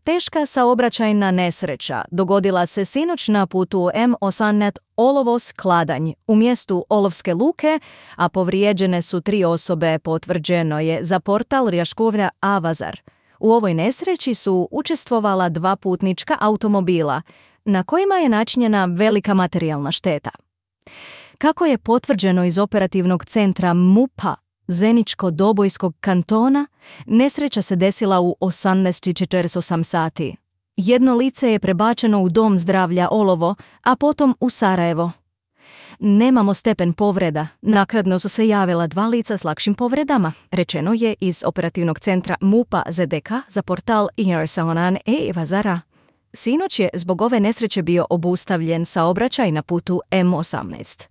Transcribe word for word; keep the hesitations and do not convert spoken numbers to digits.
Teška saobraćajna nesreća dogodila se sinoć na putu M osamnaest Olovos-Kladanj u mjestu Olovske luke, a povrijeđene su tri osobe, potvrđeno je za portal Rjaškovlja Avazar. U ovoj nesreći su učestvovala dva putnička automobila, na kojima je načinjena velika materijalna šteta. Kako je potvrđeno iz operativnog centra MUP-a Zeničko-Dobojskog kantona, nesreća se desila u osamnaest i četrdeset osam sati. Jedno lice je prebačeno u Dom zdravlja Olovo, a potom u Sarajevo. Nemamo stepen povreda, naknadno su se javila dva lica s lakšim povredama, rečeno je iz operativnog centra MUP-a Z D K za portal Irsaonan e Vazara. Sinoć je zbog ove nesreće bio obustavljen saobraćaj na putu M osamnaest.